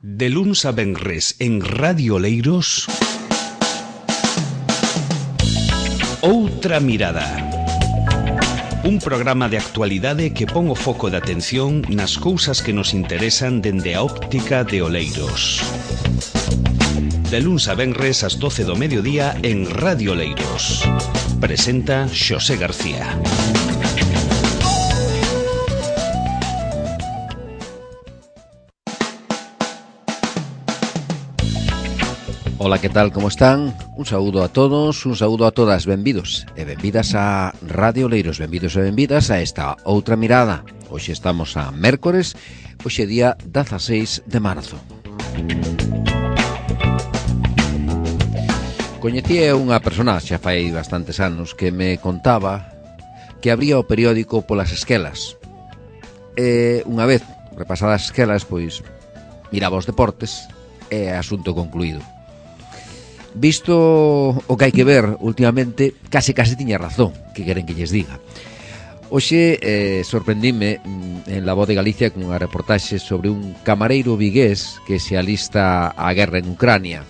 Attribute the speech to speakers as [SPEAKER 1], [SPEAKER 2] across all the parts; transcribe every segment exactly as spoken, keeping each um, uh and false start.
[SPEAKER 1] De luns a venres en Radio Oleiros, Outra Mirada. Un programa de actualidade que pon o foco de atención nas cousas que nos interesan dende a óptica de Oleiros. De luns a venres ás doce do mediodía en Radio Oleiros. Presenta Xosé García.
[SPEAKER 2] Ola, que tal, como están? Un saúdo a todos, un saúdo a todas, benvidos e benvidas a Radio Oleiros, benvidos e benvidas a esta Outra Mirada. Hoxe estamos a mércores, hoxe día dezaseis de marzo. Coñecí a unha persona, xa fai bastantes anos, que me contaba que abría o periódico polas esquelas. E unha vez repasadas as esquelas, pois miraba os deportes e asunto concluído. Visto o que hai que ver últimamente, case case tiña razón, que queren que lles diga. Hoxe eh, sorprendíme en La Voz de Galicia con unha reportaxe sobre un camareiro vigués que se alista á guerra en Ucrania.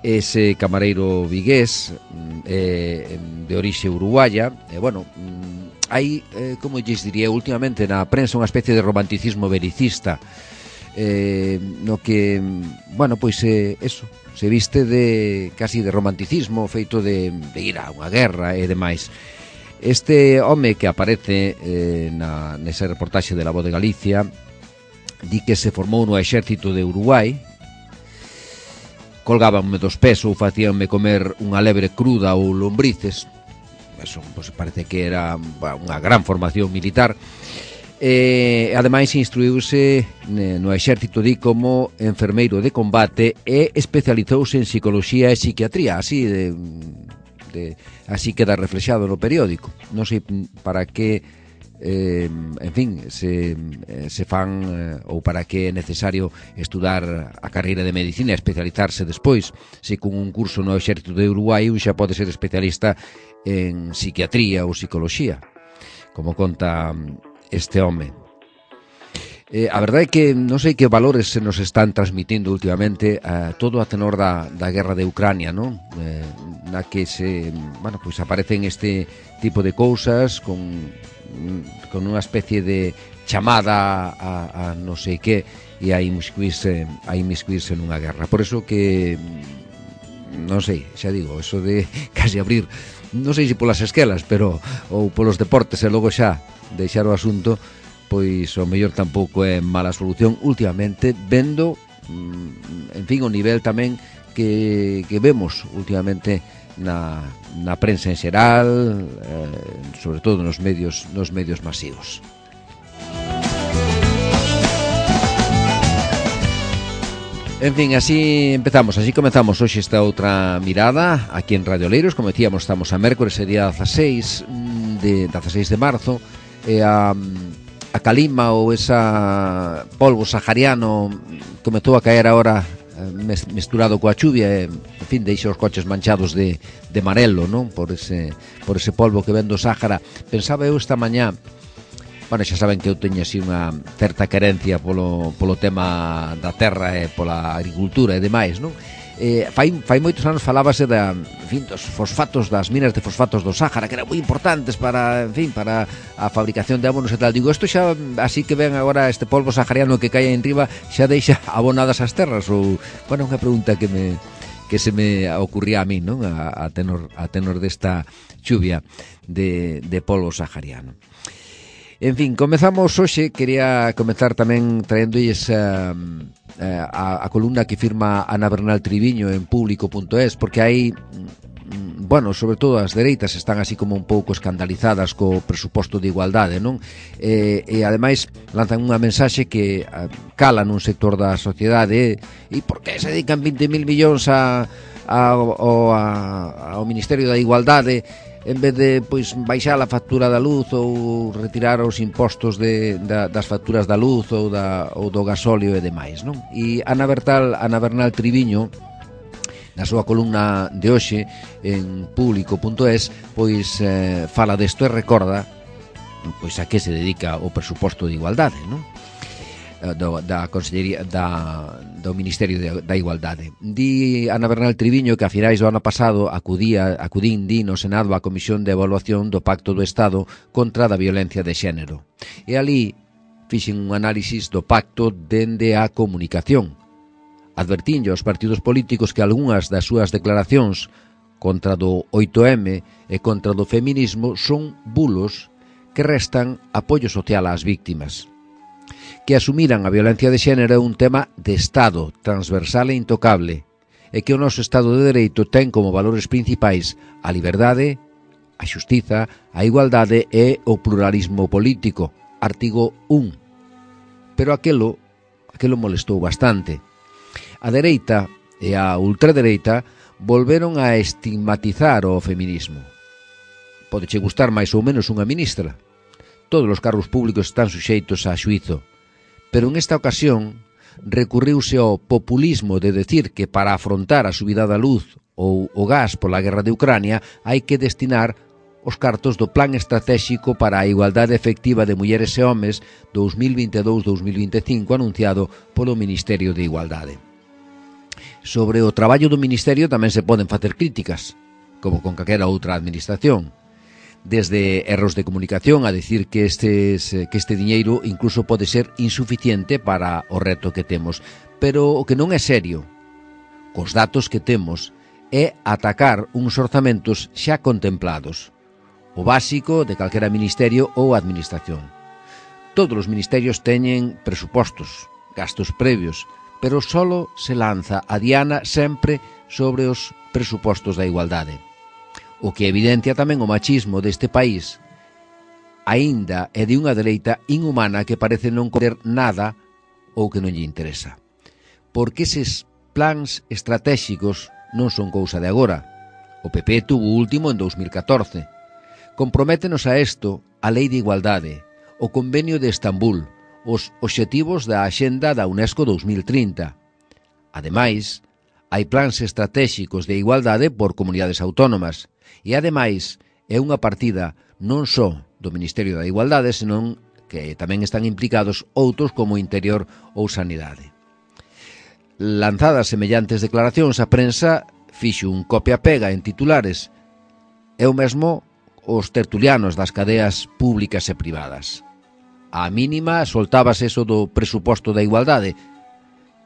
[SPEAKER 2] Ese camareiro vigués eh, de orixe uruguaya, e eh, bueno, hai, eh, como lles diría, últimamente na prensa unha especie de romanticismo belicista, eh, no que, bueno, pois eh, eso, se viste de casi de romanticismo, feito de, de ir a unha guerra e demais. Este home que aparece eh, na, nesa reportaxe de La Voz de Galicia di que se formou no exército de Uruguai, colgábanme dos pés ou facíanme comer unha lebre cruda ou lombrices. Eso, pues, parece que era unha gran formación militar. E, ademais, instruíuse no exército di como enfermeiro de combate e especializouse en psicoloxía e psiquiatría, así de, de así queda reflexado no periódico. Non sei para que eh, en fin, se, se fan eh, ou para que é necesario estudar a carreira de medicina e especializarse despois, se con un curso no exército de Uruguai un xa pode ser especialista en psiquiatría ou psicoloxía, como conta este home. Eh, a verdade é que non sei que valores se nos están transmitindo últimamente eh, todo a tenor da, da guerra de Ucrania, non? Eh, na que se, bueno, pois aparecen este tipo de cousas con, con unha especie de chamada a, a non sei que e a inmiscuirse, a inmiscuirse nunha guerra. Por eso que non sei, xa digo, eso de casi abrir, non sei se polas esquelas, pero ou polos deportes e logo xa deixar o asunto, pois o mellor tampouco é mala solución últimamente, vendo, en fin, o nivel tamén que, que vemos últimamente na, na prensa en xeral, eh, sobre todo nos medios, nos medios masivos. En fin, así empezamos, así comenzamos hoxe esta outra mirada aquí en Radio Oleiros. Como decíamos, estamos a mércores, día dezaseis de, dezaseis de marzo, e a, a calima ou esa polvo sahariano comezou a caer agora mesturado coa chuvia e, en fin, deixa os coches manchados de, de amarelo, non? Por ese, por ese polvo que ven do Sáhara. Pensaba eu esta mañá, bueno, xa saben que eu teño así unha certa querencia polo, polo tema da terra e pola agricultura e demais, non? Eh, fai, fai moitos anos falábase da, en fin, dos fosfatos, das minas de fosfatos do Sáhara, que eran moi importantes para, en fin, para a fabricación de abonos e tal. Digo, isto xa, así que ven agora este polvo sahariano que cae en riba, xa deixa abonadas as terras? Ou, bueno, unha pregunta que me que se me ocurría a mí, non? A, a tenor a tenor desta chuvia de, de polvo sahariano. En fin, comezamos hoxe, quería comezar tamén traéndolles uh, uh, a, a columna que firma Ana Bernal Triviño en público punto es, porque hai, bueno, sobre todo as dereitas están así como un pouco escandalizadas co presuposto de igualdade, non? E, e ademais lanzan unha mensaxe que uh, cala nun sector da sociedade. E por que se dedican vinte mil millóns a, a, ao, a, ao Ministerio da Igualdade en vez de, pois, baixar a factura da luz ou retirar os impostos de, da, das facturas da luz ou, da, ou do gasóleo e demais, non? E Ana Bertal, Ana Bernal Triviño, na súa columna de hoxe en público punto es, pois eh, fala desto e recorda pois a que se dedica o presuposto de igualdade, non? do, da Consellería da, do Ministerio de, da Igualdade. Di Ana Bernal Triviño que a finais do ano pasado acudía, acudín di no Senado a Comisión de Evaluación do Pacto do Estado contra a Violencia de Xénero. E ali fixen un análisis do pacto dende a comunicación. Advertinlle aos partidos políticos que algunhas das súas declaracións contra do oito eme e contra do feminismo son bulos que restan apoio social ás víctimas. Que asumiran a violencia de xénero é un tema de Estado, transversal e intocable, e que o noso Estado de Dereito ten como valores principais a liberdade, a xustiza, a igualdade e o pluralismo político, artigo un. Pero aquelo, aquelo molestou bastante. A dereita e a ultradereita volveron a estigmatizar o feminismo. Podeche gustar máis ou menos unha ministra. Todos os cargos públicos están suxeitos a xuízo. Pero en esta ocasión recurriuse ao populismo de decir que para afrontar a subida da luz ou o gas pola guerra de Ucrania hai que destinar os cartos do Plan Estratégico para a Igualdade Efectiva de Mulleres e Homes dos mil vinte e dous a dos mil vinte e cinco anunciado polo Ministerio de Igualdade. Sobre o traballo do Ministerio tamén se poden facer críticas, como con calquera outra administración. Desde erros de comunicación a decir que, estes, que este diñeiro incluso pode ser insuficiente para o reto que temos. Pero o que non é serio, cos datos que temos, é atacar uns orzamentos xa contemplados. O básico de calquera ministerio ou administración. Todos os ministerios teñen presupostos, gastos previos, pero solo se lanza a diana sempre sobre os presupostos da igualdade. O que evidencia tamén o machismo deste país, aínda é de unha dereita inhumana que parece non querer nada ou que non lle interesa. Porque eses plans estratégicos non son cousa de agora. O P P tuvo o último en dos mil catorce. Comprométenos a isto a Lei de Igualdade, o Convenio de Estambul, os obxectivos da Axenda da UNESCO dos mil trinta. Ademais, hai plans estratégicos de igualdade por comunidades autónomas e, ademais, é unha partida non só do Ministerio da Igualdade, senón que tamén están implicados outros como Interior ou Sanidade. Lanzadas semellantes declaracións, a prensa fixo un copia-pega en titulares e o mesmo os tertulianos das cadeas públicas e privadas. A mínima soltábase eso do presuposto da igualdade.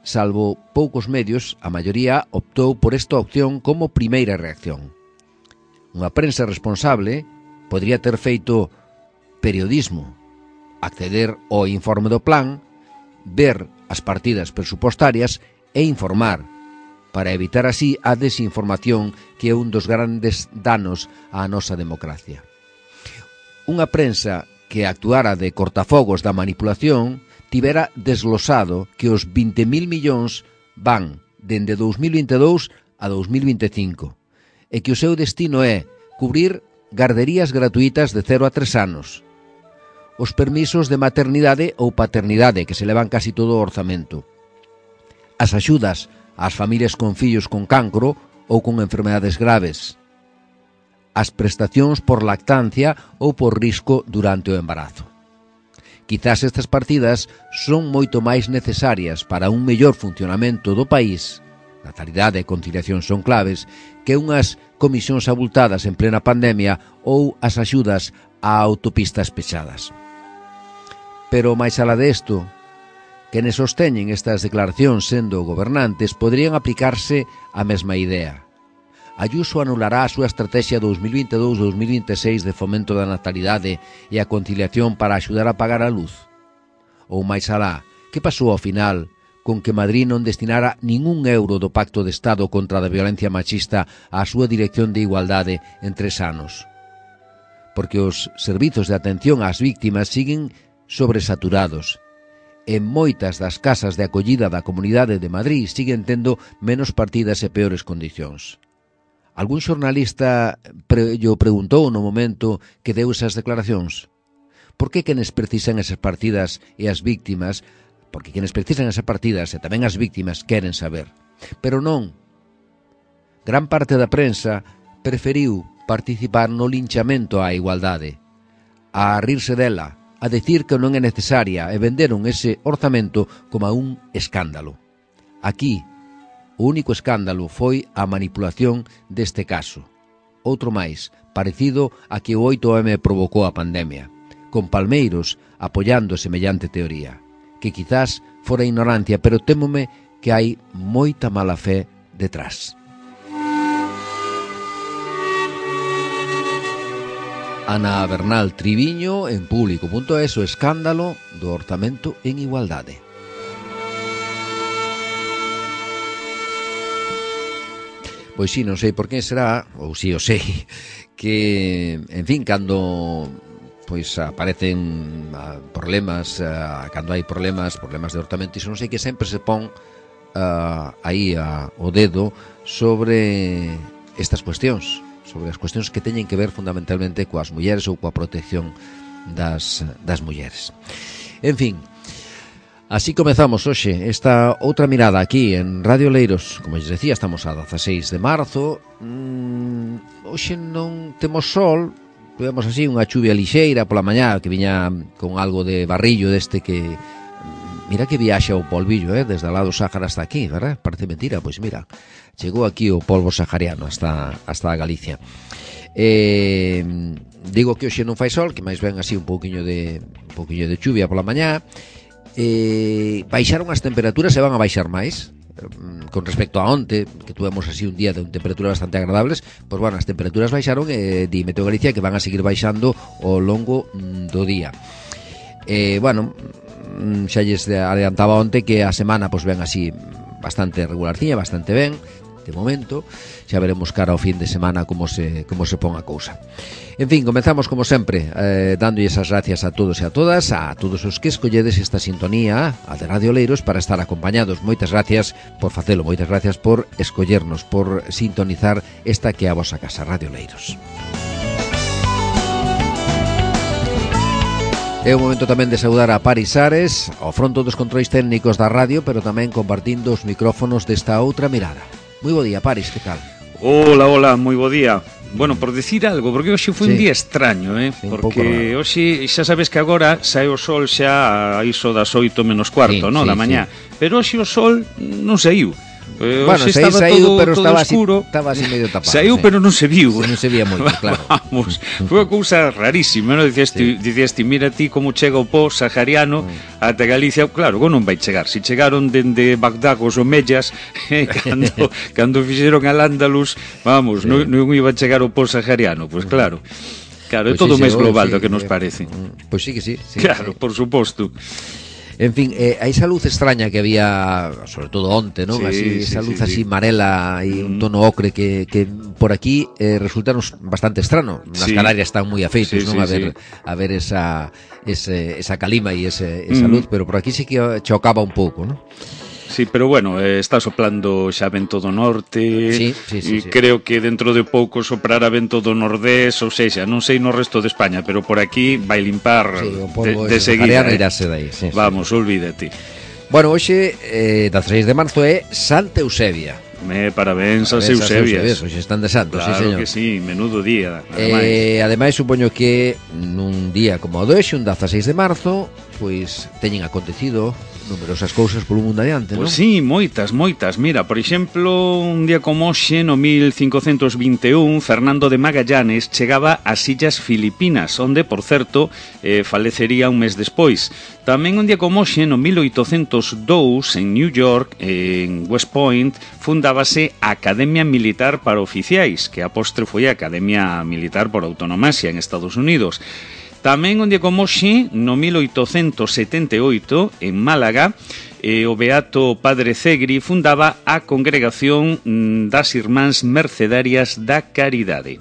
[SPEAKER 2] Salvo poucos medios, a maioría optou por esta opción como primeira reacción. Unha prensa responsable podría ter feito periodismo, acceder ao informe do plan, ver as partidas presupostarias e informar, para evitar así a desinformación que é un dos grandes danos á nosa democracia. Unha prensa que actuara de cortafogos da manipulación tivera desglosado que os vinte mil millóns van dende dos mil vinte e dous a dos mil vinte e cinco e que o seu destino é cubrir garderías gratuitas de cero a tres anos, os permisos de maternidade ou paternidade que se levan casi todo o orzamento, as axudas ás familias con fillos con cancro ou con enfermedades graves, as prestacións por lactancia ou por risco durante o embarazo. Quizás estas partidas son moito máis necesarias para un mellor funcionamento do país, natalidade e conciliación son claves, que unhas comisións abultadas en plena pandemia ou as axudas a autopistas pechadas. Pero máis alá desto, quenes sosteñen estas declaracións sendo gobernantes poderían aplicarse a mesma idea. Ayuso anulará a súa estrategia dos mil vinte e dous a dos mil vinte e seis de fomento da natalidade e a conciliación para axudar a pagar a luz. Ou máis alá, que pasou ao final con que Madrid non destinara ningún euro do Pacto de Estado contra a violencia machista á súa Dirección de Igualdade en tres anos? Porque os servizos de atención ás víctimas siguen sobresaturados. En moitas das casas de acollida da Comunidade de Madrid siguen tendo menos partidas e peores condicións. Algún xornalista pre, yo preguntou no momento que deu esas declaracións. Por que quenes precisan esas partidas e as víctimas, porque quenes precisan esas partidas e tamén as víctimas queren saber. Pero non. Gran parte da prensa preferiu participar no linchamento á igualdade, a rirse dela, a decir que non é necesaria e venderon ese orzamento como un escándalo. Aquí, o único escándalo foi a manipulación deste caso. Outro máis, parecido a que o oito eme provocou a pandemia, con palmeiros apoiando semellante teoría, que quizás fora ignorancia, pero témome que hai moita mala fe detrás. Ana Bernal Triviño, en público punto es, o escándalo do orzamento en igualdade. Pois si, non sei por que será, ou si o sei, que, en fin, cando pois aparecen problemas, uh, cando hai problemas, problemas de orzamento, iso non sei que sempre se pon uh, aí uh, o dedo sobre estas cuestións, sobre as cuestións que teñen que ver fundamentalmente coas mulleres ou coa protección das, das mulleres. En fin, así comezamos hoxe esta outra mirada aquí en Radio Oleiros. Como lles decía, estamos a dezaseis de marzo. mm, Hoxe non temos sol, vemos así unha chuvia lixeira pola mañá que viña con algo de barrillo deste que... Mira que viaxa o polvillo, eh, desde lá do Sáhara hasta aquí, verdad? Parece mentira, pois mira, chegou aquí o polvo sahariano hasta, hasta a Galicia. Eh, digo que hoxe non fai sol, que máis ben así un pouquiño de un pouquiño de chuvia pola mañá. Eh, baixaron as temperaturas e van a baixar máis con respecto a onte, que tuvemos así un día de temperaturas bastante agradables. Pois bueno, as temperaturas baixaron e di Meteo Galicia que van a seguir baixando ao longo do día. Eh, bueno, xa lles adiantaba onte que a semana pois ven así bastante regularciña, bastante ben de momento. Xa veremos cara ao fin de semana como se como se pon a cousa. En fin, comenzamos como sempre eh, dándolles as gracias a todos e a todas, a todos os que escolledes esta sintonía, a de Radio Oleiros, para estar acompañados. Moitas gracias por facelo, moitas gracias por escollernos, por sintonizar esta que é a vosa casa, Radio Oleiros. É o momento tamén de saudar a Paris Ares, ao fronto dos controis técnicos da radio, pero tamén compartindo os micrófonos desta outra mirada. Moi bo día, Paris, que tal?
[SPEAKER 3] Hola, hola, moi bo día. Bueno, por decir algo, porque hoxe foi sí. un día extraño, eh? Sí, porque hoxe, xa sabes que agora sae o sol xa a iso das oito menos cuarto, sí, no, sí, da mañá. Sí. Pero hoxe o sol non saiu. Eh,
[SPEAKER 2] bueno, se
[SPEAKER 3] estaba
[SPEAKER 2] saiu,
[SPEAKER 3] todo,
[SPEAKER 2] pero
[SPEAKER 3] todo
[SPEAKER 2] estaba
[SPEAKER 3] oscuro.
[SPEAKER 2] Así, estaba así medio tapado.
[SPEAKER 3] Saiu,
[SPEAKER 2] sí.
[SPEAKER 3] pero non se viu.
[SPEAKER 2] Sí, non se vía moito, claro.
[SPEAKER 3] Vamos, foi unha cousa rarísima, non? Dicías ti, sí. dicías ti, mira ti como chega o pó sahariano mm. ata Galicia. Claro, como non vai chegar? Se chegaron dende Bagdad os omellas, eh, cando, cando fixeron al Andalus, vamos, sí. non, non iba a chegar o pó sahariano, pois pues, claro. Claro, é pues todo sí, máis global sí, do que nos parece.
[SPEAKER 2] Pois pues sí que sí. sí
[SPEAKER 3] claro,
[SPEAKER 2] sí.
[SPEAKER 3] por suposto.
[SPEAKER 2] En fin, eh, a esa luz extraña que había, sobre todo onte, ¿no? Sí, así, sí, esa luz sí, así sí. marela e un tono ocre que, que por aquí eh, resultaron bastante estrano. Nas sí. Canarias están moi afeitos, sí, ¿no? Sí, a ver sí. a ver esa ese, esa calima e ese, esa mm. luz, pero por aquí sí que chocaba un pouco, ¿no?
[SPEAKER 3] Sí, pero bueno, eh, está soplando xa vento do norte.
[SPEAKER 2] Sí, sí, sí,
[SPEAKER 3] e
[SPEAKER 2] sí.
[SPEAKER 3] creo que dentro de pouco soprará vento do nordés, ou seja, non sei no resto de España, pero por aquí vai limpar
[SPEAKER 2] sí, o polvo
[SPEAKER 3] de, de seguida.
[SPEAKER 2] Eh. Irase dai, sí,
[SPEAKER 3] Vamos,
[SPEAKER 2] sí.
[SPEAKER 3] olvídate.
[SPEAKER 2] Bueno, hoxe, eh, dezaseis de marzo é Santa Eusebia.
[SPEAKER 3] Me parabéns as Eusebias.
[SPEAKER 2] Hoxe están de santos,
[SPEAKER 3] claro
[SPEAKER 2] sí, señor.
[SPEAKER 3] Que sí, menudo día.
[SPEAKER 2] Ademais, eh, ademais supoño que nun día como o de hoxe, un dezaseis de marzo, pois teñen acontecido numerosas cousas polo mundo adiante, non?
[SPEAKER 3] Pois sí, moitas, moitas. Mira, por exemplo, un día como hoxe, no mil cincocentos vinte e un, Fernando de Magallanes chegaba ás Illas Filipinas, onde, por certo, eh, falecería un mes despois. Tamén un día como hoxe, no mil oitocentos dous, en New York, en West Point, fundábase a Academia Militar para Oficiais, que a postre foi a Academia Militar por Autonomasia en Estados Unidos. Tamén un día como hoxe, no mil oitocentos setenta e oito, en Málaga, eh, o beato Padre Cegri fundaba a Congregación das Irmáns Mercedarias da Caridade.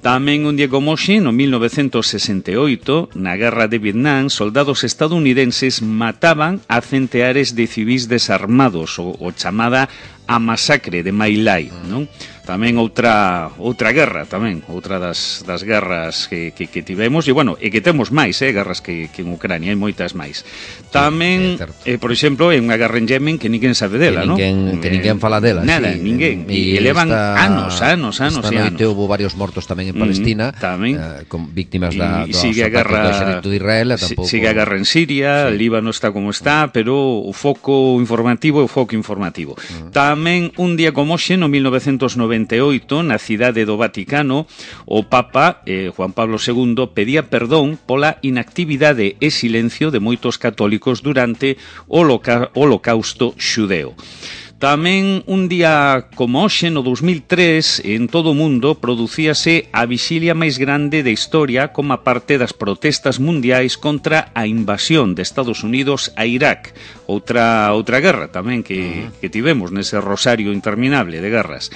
[SPEAKER 3] Tamén un día como hoxe, no mil novecentos sesenta e oito, na Guerra de Vietnam, soldados estadounidenses mataban a centeares de civis desarmados, o, o chamada a masacre de My Lai, non? Tamén outra outra guerra, tamén, outra das, das guerras que, que, que tivemos, e bueno, e que temos máis, eh, guerras que, que en Ucrania, hai moitas máis. Tamén, sí, eh, por exemplo, en unha guerra en Yemen que ninguén sabe dela, non?
[SPEAKER 2] Que ninguén, que ninguén fala dela,
[SPEAKER 3] nada,
[SPEAKER 2] sí.
[SPEAKER 3] ninguén,
[SPEAKER 2] e,
[SPEAKER 3] e levan anos, anos, anos e anos.
[SPEAKER 2] Esta noite houve varios mortos tamén en Palestina, mm, tamén, eh, con víctimas da, do
[SPEAKER 3] sigue a guerra,
[SPEAKER 2] do exército de Israel, e tampouco...
[SPEAKER 3] Sigue a guerra en Siria, sí. Líbano está como está, pero o foco informativo é o foco informativo. Uh -huh. Tamén un día como hoxe, no mil novecentos noventa e oito, na cidade do Vaticano, o Papa eh, Juan Pablo segundo pedía perdón pola inactividade e silencio de moitos católicos durante o Holocausto xudeo. Tamén un día como hoxe, no dos mil tres, en todo o mundo producíase a vixilia máis grande da historia como parte das protestas mundiais contra a invasión de Estados Unidos a Irak, outra outra guerra tamén que, que tivemos nese rosario interminable de guerras.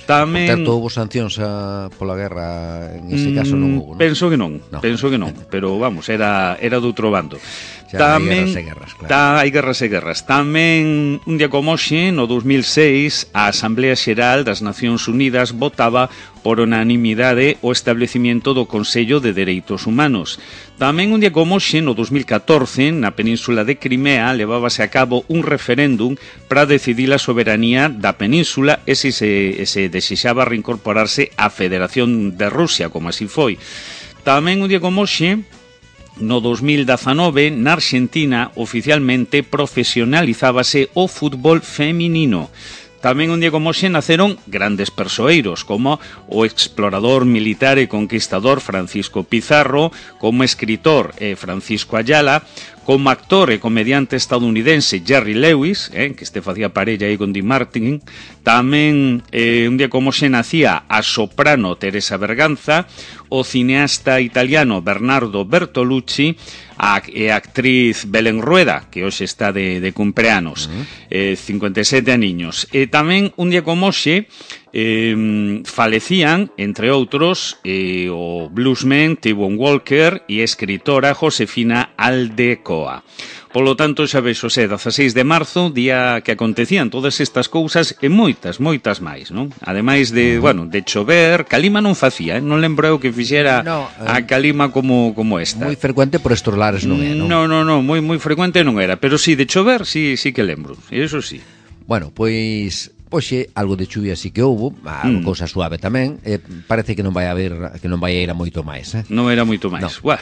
[SPEAKER 3] Tamén...
[SPEAKER 2] Por certo, houve sancións a, pola guerra, en ese caso non houve, non?
[SPEAKER 3] Penso que non, no. penso que non, pero vamos, era, era de outro bando.
[SPEAKER 2] Xa, tamén, hai guerras e guerras, claro.
[SPEAKER 3] Ta, hai guerras e guerras. Tamén, un día como hoxe, no dos mil seis, a Asamblea Xeral das Nacións Unidas votaba por unanimidade o establecimiento do Consello de Dereitos Humanos. Tamén un día como hoxe, no dos mil catorce, na península de Crimea, levábase a cabo un referéndum para decidir a soberanía da península e se, se, se desexaba reincorporarse á Federación de Rusia, como así foi. Tamén un día como hoxe, no dos mil dezanove, na Argentina, oficialmente profesionalizábase o fútbol feminino. Tamén un día como hoxe naceron grandes persoeiros, como o explorador militar e conquistador Francisco Pizarro, como escritor eh, Francisco Ayala, como actor e comediante estadounidense Jerry Lewis, eh, que este facía parella aí con Dean Martin. Tamén eh, un día como hoxe nacía a soprano Teresa Berganza, o cineasta italiano Bernardo Bertolucci, a, e a actriz Belén Rueda, que hoxe está de, de cumpleanos, uh -huh. eh, cincuenta e sete aniños. E tamén un día como hoxe eh, falecían, entre outros, eh, o bluesman T-Bone Walker e a escritora Josefina Aldecoa. Polo tanto, xa vexo, xe, dezaseis de marzo, día que acontecían todas estas cousas e moitas, moitas máis, non? Ademais de, bueno, de chover, calima non facía, eh? Non lembro eu que fixera no, eh, a calima como como esta.
[SPEAKER 2] Moi frecuente por estos lares non é, non?
[SPEAKER 3] Non, non, non, moi moi frecuente non era, pero sí, de chover, sí, sí que lembro, eso sí.
[SPEAKER 2] Bueno, pois... Oxe, algo de chuvia sí que houbo, algo mm. cousa suave tamén, eh, parece que non vai haber, que non vai ir a moito máis, eh?
[SPEAKER 3] Non era moito máis. No. Buah,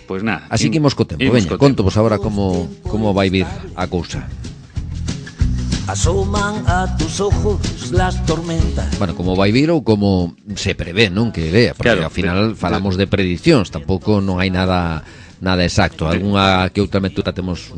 [SPEAKER 3] pois nada.
[SPEAKER 2] Así que imos co tempo, veña, conto vos agora como como vai vir a cousa.
[SPEAKER 4] Asoman a tus ojos las tormentas.
[SPEAKER 2] Bueno, como vai vir ou como se prevé, non? Que vea, porque claro, ao final de, falamos de prediccións, tampouco non hai nada nada exacto, algunha que outra metura temos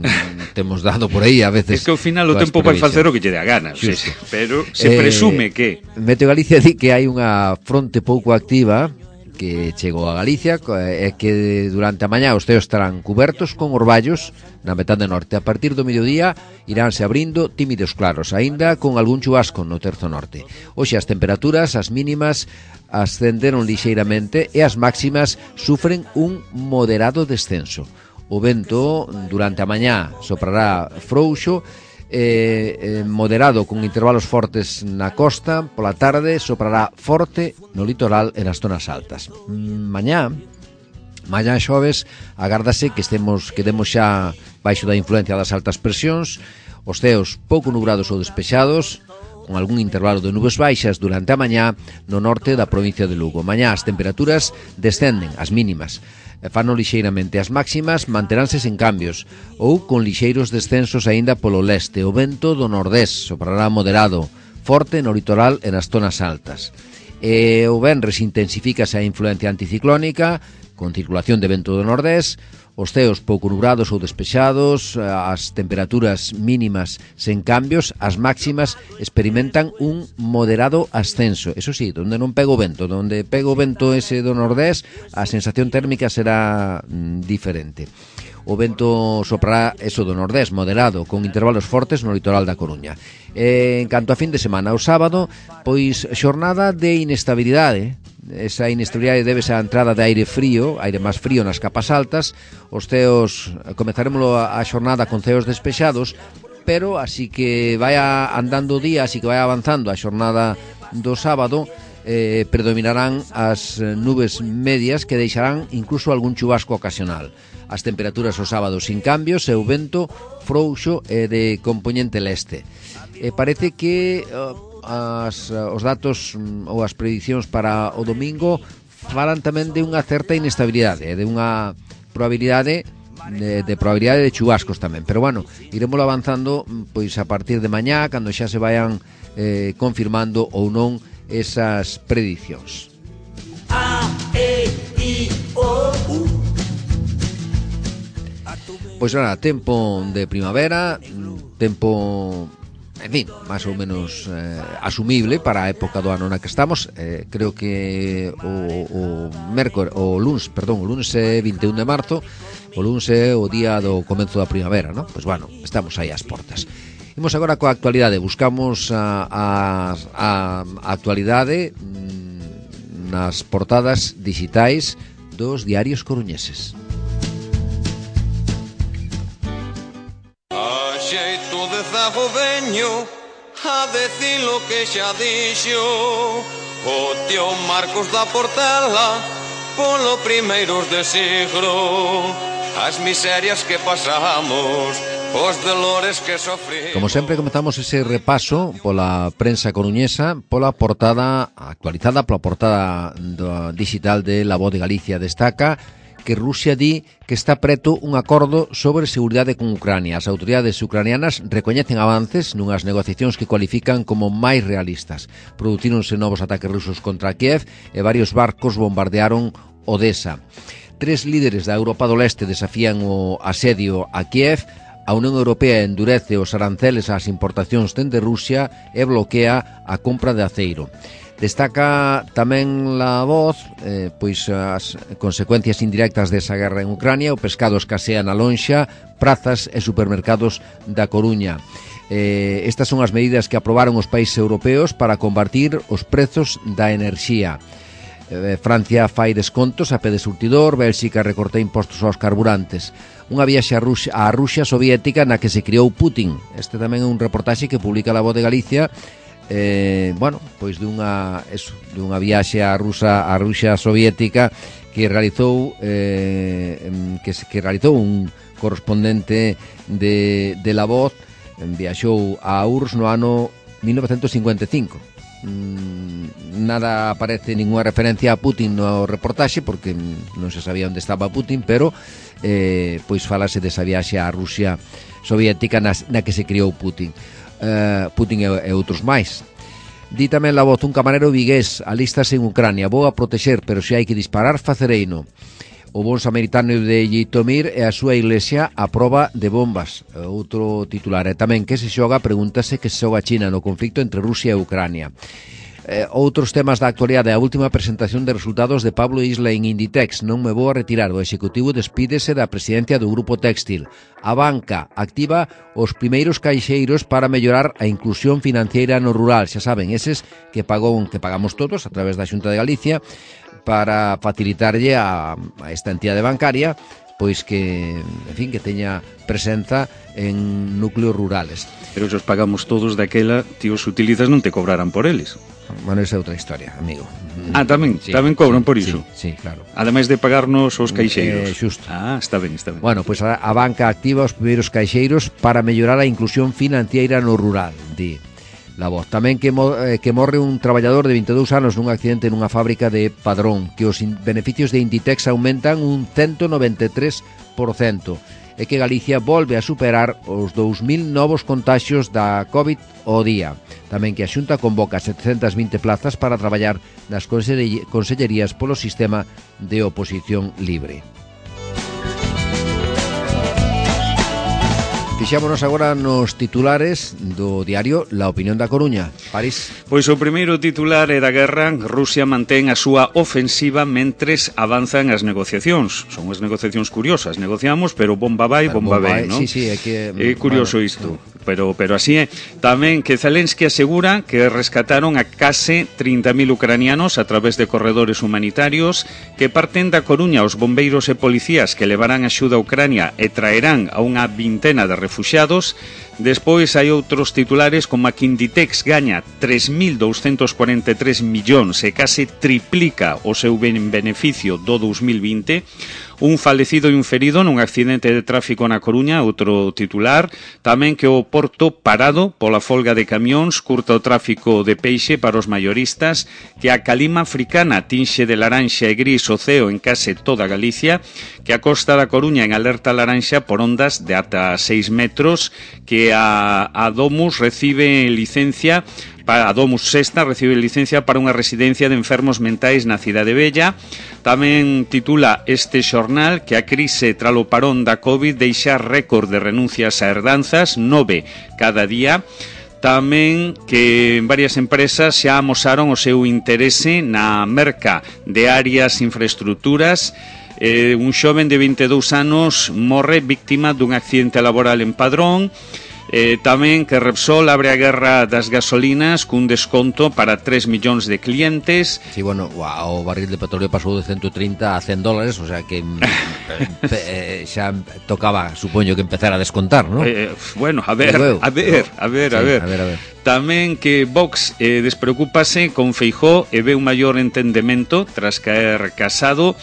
[SPEAKER 2] temos dado por aí a veces.
[SPEAKER 3] É que ao final o tempo vai facer o que lle dé a gana, sí, sí, pero se eh, presume que
[SPEAKER 2] Meteo Galicia di que hai unha fronte pouco activa que chegou a Galicia e que durante a mañá os ceos estarán cubertos con orballos na metade norte. A partir do mediodía iránse abrindo tímidos claros, aínda con algún chubasco no terzo norte. Hoxe as temperaturas, as mínimas ascenderon lixeiramente e as máximas sufren un moderado descenso. O vento durante a mañá soprará frouxo, eh, eh, moderado con intervalos fortes na costa, pola tarde soprará forte no litoral e nas zonas altas. Mañá, mañá xoves, agárdase que estemos quedemos xa baixo da influencia das altas presións, os ceos pouco nubrados ou despexados, con algún intervalo de nubes baixas durante a mañá no norte da provincia de Lugo. Mañá as temperaturas descenden, as mínimas, fano lixeiramente, as máximas manteránse sen cambios ou con lixeiros descensos aínda polo leste. O vento do nordés soprará moderado, forte no litoral e nas zonas altas. E o venres intensifícase a influencia anticiclónica con circulación de vento do nordés, os ceos pouco nubrados ou despexados, as temperaturas mínimas sen cambios, as máximas experimentan un moderado ascenso. Eso sí, donde non pega o vento, donde pega o vento ese do nordés, a sensación térmica será mm, diferente. O vento soprará eso do nordés, moderado, con intervalos fortes no litoral da Coruña. E, en canto a fin de semana, o sábado, pois xornada de inestabilidade. Esa inestabilidade debese á entrada de aire frío, aire máis frío nas capas altas. Os ceos, comezaremos a xornada con ceos despexados, pero así que vai andando o día, así que vai avanzando a xornada do sábado, eh, predominarán as nubes medias que deixarán incluso algún chubasco ocasional. As temperaturas o sábado sin cambios e o vento frouxo e de compoñente leste. E parece que uh, as, uh, os datos um, ou as predicións para o domingo falan tamén de unha certa inestabilidade, de unha probabilidade de, de probabilidade de chubascos tamén, pero bueno, iremos avanzando pois a partir de mañá, cando xa se vayan eh, confirmando ou non esas predicións. A, E, I, O, U. Pois nada, tempo de primavera, tempo, en fin, máis ou menos eh, asumible para a época do ano na que estamos. Eh, creo que o, o mércor, o luns, perdón, o luns é vinte e un de marzo, o luns é o día do comenzo da primavera, non? Pois bueno, estamos aí ás portas. Imos agora coa actualidade, buscamos a, a, a actualidade mm, nas portadas digitais dos diarios coruñeses.
[SPEAKER 5] A xeito de zago veño a decir lo que xa dixo o tío Marcos da Portela polo primeiros de siglo, as miserias que pasamos, os dolores que sofrimos.
[SPEAKER 2] Como sempre, comenzamos ese repaso pola prensa coruñesa, pola portada actualizada, pola portada do digital de La Voz de Galicia. Destaca que Rusia di que está preto un acordo sobre seguridade con Ucrania. As autoridades ucranianas recoñecen avances nunhas negociacións que cualifican como máis realistas. Produtíronse novos ataques rusos contra Kiev e varios barcos bombardearon Odessa. Tres líderes da Europa do Leste desafían o asedio a Kiev. A Unión Europea endurece os aranceles ás importacións dende Rusia e bloquea a compra de aceiro. Destaca tamén La Voz eh, pois as consecuencias indirectas desa guerra en Ucrania. O pescado escasea na lonxa, prazas e supermercados da Coruña. Eh, estas son as medidas que aprobaron os países europeos para combatir os prezos da enerxía. Eh, Francia fai descontos a pé de surtidor, Bélxica recorta impostos aos carburantes. Unha viaxe a Rusia, a Rusia soviética na que se criou Putin. Este tamén é un reportaxe que publica La Voz de Galicia. Eh, bueno, pois dunha eso, dunha viaxe a Rusa a Rusia soviética que realizou eh, que, que realizou un correspondente de, de La Voz. Viaxou a U R S S no ano mil novecentos cincuenta e cinco. Mm, nada aparece ninguna referencia a Putin no reportaxe porque non se sabía onde estaba Putin, pero eh, pois falase desa viaxe a Rusia soviética na, na que se criou Putin. Uh, Putin e, e outros máis. Di tamén La Voz, un camarero vigués alístase en Ucrania, vou a protexer, pero se hai que disparar facereino. O bon samaritano de Yitomir e a súa iglesia a proba de bombas. Outro titular. E tamén que se xoga, pregúntase que se xoga China no conflicto entre Rusia e Ucrania. Eh, outros temas da actualidade. A última presentación de resultados de Pablo Isla en Inditex. Non me vou a retirar. O executivo despídese da presidencia do Grupo Téxtil. A banca activa os primeiros caixeiros para mellorar a inclusión financiera no rural. Xa saben, eses que pagou, que pagamos todos a través da Xunta de Galicia para facilitarlle a, a esta entidade bancaria pois que, en fin, que teña presenza en núcleos rurales.
[SPEAKER 3] Pero se os pagamos todos daquela, ti os utilizas non te cobrarán por eles.
[SPEAKER 2] Bueno, esa é outra historia, amigo.
[SPEAKER 3] Ah, tamén,
[SPEAKER 2] sí,
[SPEAKER 3] tamén cobran
[SPEAKER 2] sí,
[SPEAKER 3] por iso.
[SPEAKER 2] Sí, sí, claro.
[SPEAKER 3] Ademais de pagarnos os caixeiros.
[SPEAKER 2] Eh, xusto.
[SPEAKER 3] Ah, está ben, está ben.
[SPEAKER 2] Bueno, pois pues a, a banca activa os primeiros caixeiros para mellorar a inclusión financiera no rural, di La Voz. Tamén que, mo, eh, que morre un traballador de vinte e dous anos nun accidente nunha fábrica de Padrón, que os in, beneficios de Inditex aumentan un ciento noventa e tres por cento. E que Galicia volve a superar os dous mil novos contaxios da COVID ao día. Tamén que a Xunta convoca setecentas vinte plazas para traballar nas consellerías polo sistema de oposición libre. Fixámonos agora nos titulares do diario La Opinión da Coruña. París.
[SPEAKER 3] Pois o primeiro titular é da guerra. Rusia mantén a súa ofensiva mentres avanzan as negociacións. Son as negociacións curiosas. Negociamos, pero bomba vai, bomba, bomba vai, non?
[SPEAKER 2] Sí, sí, é que...
[SPEAKER 3] É curioso bueno, isto. pero pero así é. Tamén que Zelensky asegura que rescataron a case trinta mil ucranianos a través de corredores humanitarios que parten da Coruña os bombeiros e policías que levarán axuda a Ucrania e traerán a unha vintena de refuxiados. Despois hai outros titulares como a que Inditex gaña tres mil douscentos cuarenta e tres millóns e case triplica o seu beneficio do dous mil vinte. Un falecido e un ferido nun accidente de tráfico na Coruña, outro titular. Tamén que o Porto parado pola folga de camións curta o tráfico de peixe para os maioristas, que a calima africana tinxe de laranxa e gris o ceo en case toda Galicia, que a costa da Coruña en alerta laranxa por ondas de ata seis metros, que a, a Domus recibe licencia a Domus Sexta recibe licencia para unha residencia de enfermos mentais na Cidade Bella. Tamén titula este xornal que a crise tralo parón da COVID deixa récord de renuncias a herdanzas, nove cada día. Tamén que varias empresas xa amosaron o seu interese na merca de áreas infraestructuras. Eh, un xoven de vinte e dous anos morre víctima dun accidente laboral en Padrón. Eh, tamén que Repsol abre a guerra das gasolinas cun desconto para tres millóns de clientes.
[SPEAKER 2] Sí, bueno, o barril de petróleo pasou de ciento trinta a cen dólares, o sea que eh, xa tocaba, supoño, que empezar a descontar, ¿no?
[SPEAKER 3] Eh, bueno, a ver, a ver, a ver, a ver.
[SPEAKER 2] Sí, a ver, a ver.
[SPEAKER 3] Tamén que Vox eh, despreocúpase con Feijóo e ve un maior entendemento tras caer Casado.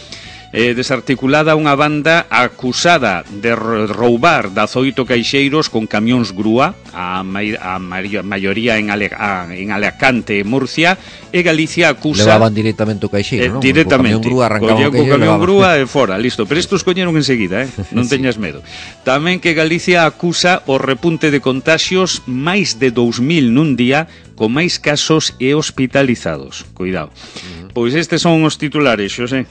[SPEAKER 3] Eh, desarticulada unha banda acusada de roubar dazoito caixeiros con camións grúa, a, mai, a maioría en, Ale, a, en Alicante e Murcia, e Galicia acusa...
[SPEAKER 2] Levaban directamente o caixeiro, eh, non?
[SPEAKER 3] Directamente,
[SPEAKER 2] co camión grúa arrancaban o caixeiro,
[SPEAKER 3] camión grúa e fora, listo, pero estos coñeron enseguida, eh? Non sí. Teñas medo. Tamén que Galicia acusa o repunte de contaxios, máis de dous mil nun día, con máis casos e hospitalizados. Cuidado. Uh-huh. Pois estes son os titulares, xosé.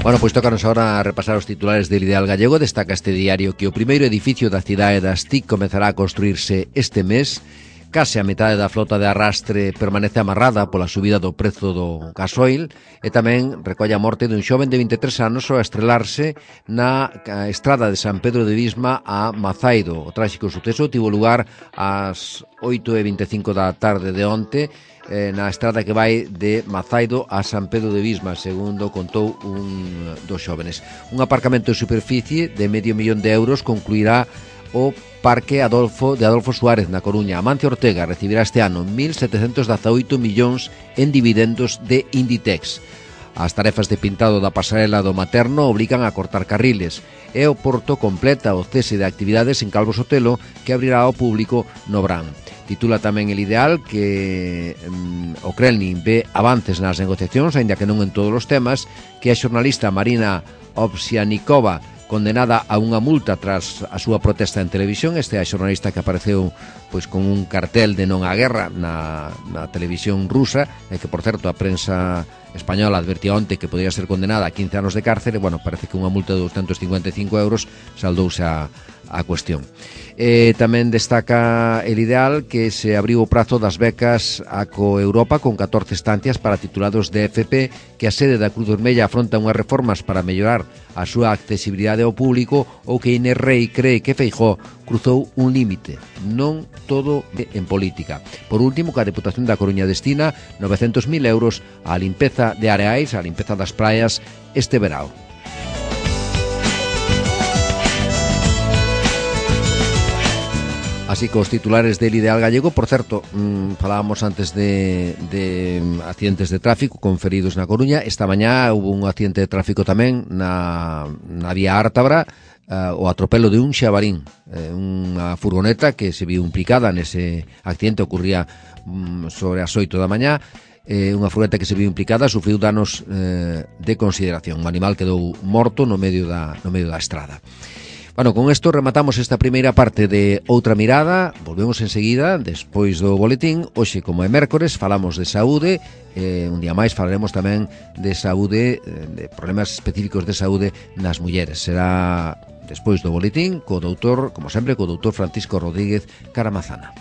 [SPEAKER 2] Bueno, pois tócanos agora repasar os titulares del Ideal Gallego. Destaca este diario que o primeiro edificio da cidade das T I C comezará a construirse este mes. Case a metade da flota de arrastre permanece amarrada pola subida do prezo do gasoil e tamén recolle a morte dun xoven de vinte e tres anos ao estrelarse na estrada de San Pedro de Visma a Mazaido. O tráxico suceso tivo lugar ás oito e vinte e cinco da tarde de onte eh, na estrada que vai de Mazaido a San Pedro de Visma, segundo contou un dos xóvenes. Un aparcamento de superficie de medio millón de euros concluirá o Parque Adolfo de Adolfo Suárez na Coruña. Amancio Ortega recibirá este ano mil setecentos dezaoito millóns en dividendos de Inditex. As tarefas de pintado da pasarela do Materno obligan a cortar carriles e o Porto completa o cese de actividades en Calvo Sotelo, que abrirá ao público no verán. Titula tamén El Ideal que um, o Kremlin ve avances nas negociacións, aínda que non en todos os temas, que a xornalista Marina Ovsianikova condenada a unha multa tras a súa protesta en televisión. Este é a xornalista que apareceu pois con un cartel de non á guerra na, na televisión rusa, e que, por certo, a prensa española advertía onte que podría ser condenada a quince anos de cárcere. Bueno, parece que unha multa de doscientos cincuenta e cinco euros saldouse a, a cuestión. Eh, tamén destaca El Ideal que se abriu o prazo das becas a Coeuropa con catorce estancias para titulados de F P, que a sede da Cruz Vermella afronta unhas reformas para mellorar a súa accesibilidade ao público, ou que Inés Rei cree que Feijóo cruzou un límite. Non todo en política. Por último, que a Deputación da Coruña destina novecentos mil euros á limpeza de areais, á limpeza das praias este verao. Así que os titulares del Ideal Gallego. Por certo, mmm, falábamos antes de, de accidentes de tráfico con feridos na Coruña. Esta mañá hubo un accidente de tráfico tamén na, na vía Ártabra, uh, o atropelo de un xabarín, eh, unha furgoneta que se viu implicada nese accidente. Ocurría um, sobre as oito da mañá. Eh, unha furgoneta que se viu implicada sufriu danos eh, de consideración. O animal quedou morto no medio da, no medio da estrada. Bueno, con isto rematamos esta primeira parte de Outra Mirada. Volvemos enseguida, despois do boletín. Hoxe, como é mércores, falamos de saúde. Eh, un día máis falaremos tamén de saúde, de problemas específicos de saúde nas mulleres. Será despois do boletín co doutor, como sempre, co doutor Francisco Rodríguez Caramazana.